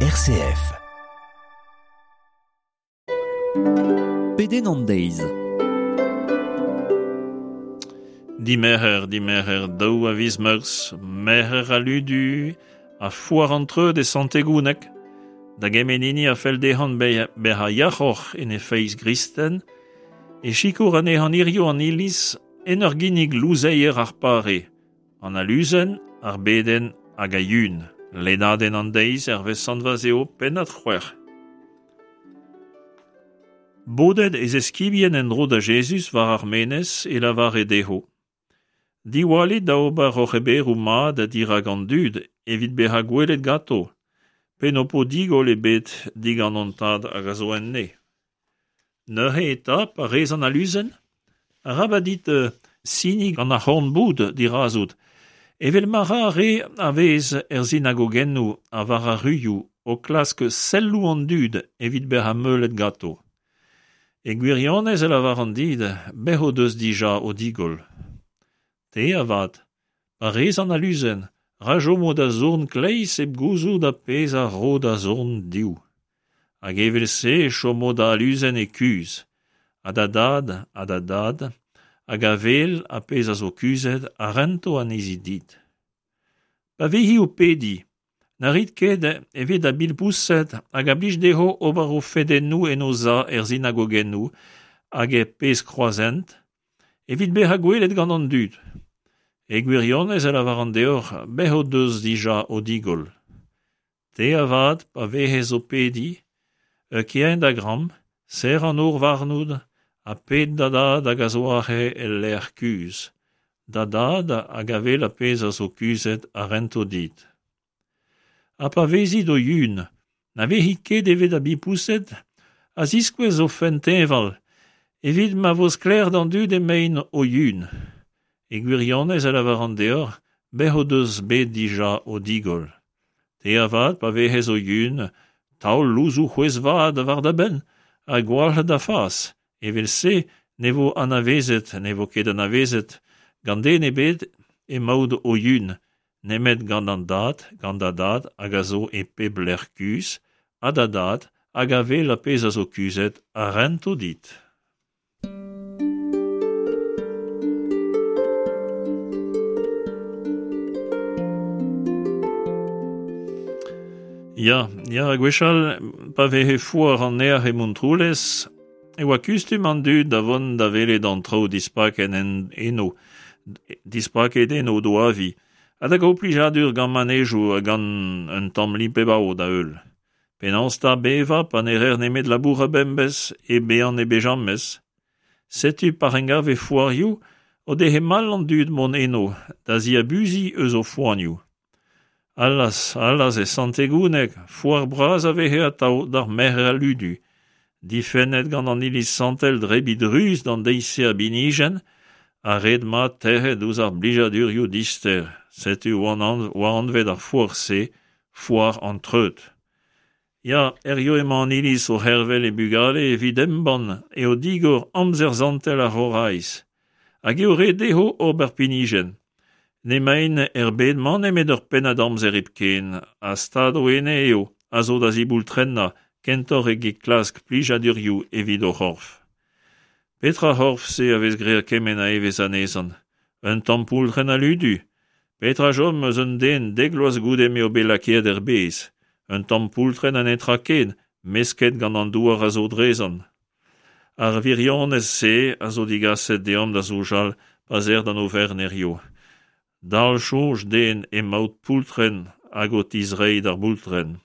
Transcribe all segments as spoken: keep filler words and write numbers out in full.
R C F. Pedenn an deiz. Dimerc'her, dimerc'her daou a viz Meurzh, merc'her al ludu, ha foar an treud e Sant-Tegouneg. Da gement hini a fell dezhañ bezañ yac'hoc'h en e feiz gristen, e sikour anezhañ hirio an iliz en ur ginnig louzeier ar pare, an aluzen, ar bedenn hag a yun. Lennadenn an deiz hervez Sant Vazeo, pennad c'hwec'h. Bodet e zeskibien en-dro da Jezuz war ar menez e lavare dezho: Diwallit da ober hoc'h oberoù mat dirak an dud evit bezañ gwelet ganto, pe n'ho po digoll ebet digant an Tad hag a zo en neñv. Neuze eta, pa rez an aluzen, arabat dit siniñ gant ar c'horn-boud dirazout, evel ma ra ar re a vez er sinagogennoù ha war ar ruioù o klask selloù an dud evit bezañ meulet ganto. E gwirionez e lavaran dit, bez' o deus dija o digoll. Te avat, pa rez an aluzen, ra chomo da zorn kleiz hep gouzout ar pezh a ro da zorn dehoù. Hag evel-se e chomo da aluzen e kuzh, ha da dad ha da dad, hag a wel ar pezh a zo kuzhet a rento anezhi dit. Pa vezi o pediñ, na rit ket evit ar bilpouzed hag a blij dezho ober o fedennoù en o sav er sinagogennoù hag er pezh kroazhent, evit bezañ gwelet gant an dud. E gwirionez e lavaran deoc'h, bez' o deus dija o digoll. Te avat, pa vez o pediñ, kae en da gambr, serr an nor warnout, ha ped da dad hag a zo aze el lec'h kuzh. Da dad hag a wel ar pezh a zo kuzhet a rento dit. Ha pa vezit o yun, na vezit ket evel ar bilpouzed a ziskouez o fenn teñval, evit ma vo sklaer d'an dud emaint o yun. E gwirionez e lavaran deoc'h, bez' o deus bet dija o digoll. Te avat, pa vez o yun, taol louzoù c'hwezh-vat war da benn ha gwalc'h da fas. Evel-se ne vo anavezet, ne vo ket anavezet gant den ebet emaout o yun, nemet gant an dad, gant da dad hag a zo e pep lec'h kuzh, ha da dad hag a wel ar pezh a zo kuzhet a rento dit. Ya, ya, gwechall, pa veze foar an Nec'h e Montroulez, e oa kustum an dud da vont da welet an traoù dispaket en eno, dispaket eno d'o avi, ha da gaout plijadur gant manejoù ha gant un tamm lip-e-bav da heul. Penaos 'ta bevañ pa ne reer nemet labourat bemdez e bezañ e bejamez? Setu pa engave foarioù o dehe mall an dud mont eno da ziabuziñ eus o foanioù. Allaz, allaz e Sant-Tegouneg, foar bras a veze atav d'ar merc'her al ludu, difennet gant an iliz santel drebiñ druz d'an deiz-se a binijenn, ha ret mat tec'het ouzh ar blijadurioù dister. Setu oa anvet ar foar-se, foar an treud. Ya, hiziv emañ an iliz o c'hervel he bugale evit embann eo digor amzer santel ar C'horaiz, hag eo ret dezho ober pinijenn. N'emaint er bed-mañ nemet ur pennad amzer hepken, ha stad o ene eo a zo da ziboultrennañ kentoc'h eget klask plijadurioù evit o c'horf. Petra c'horf-se a vez graet kement a evezh anezhañ? Un tamm poultrenn a ludu? Petra chom eus un den dek vloaz goude m'eo bet lakaet er bez? Un tamm poultrenn ha netra ken, mesket gant an douar a zo drezañ. Ar wirionez-se a zo digaset deomp da soñjal pa 'z eer d'an oferenn hiziv. Dal soñj den emaout poultrenn hag o tizreiñ d'ar boultrenn.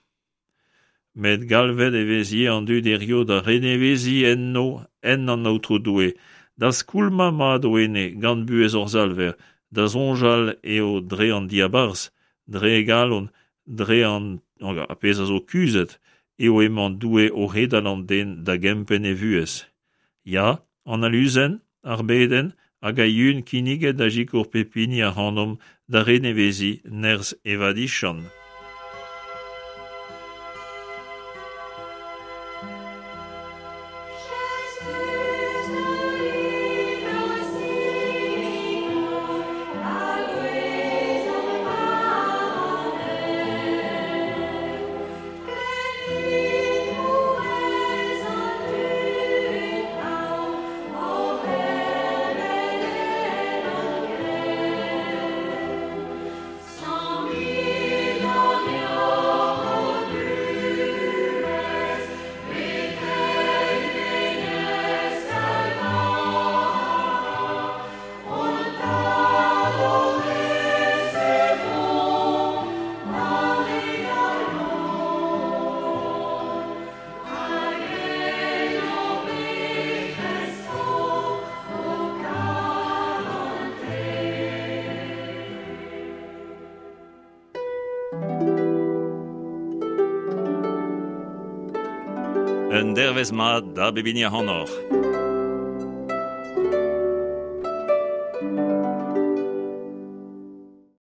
Met galvet e vez ivez an dud hiziv da reneveziñ enno en an Aotrou Doue, da skoulmañ mat o ene gant buhez hor Salver, da soñjal eo dre an diabarzh, dre e galon, dre an ar pezh a zo kuzhet, eo emañ Doue o c'hedal an den da gempenn e vuhez. Ya, an aluzen, ar bedenn hag a yun kinniget da sikour pep hini ac'hanomp da reneveziñ nerzh e vadiziant. Un dervezh mat da bep hini ac'hanoc'h.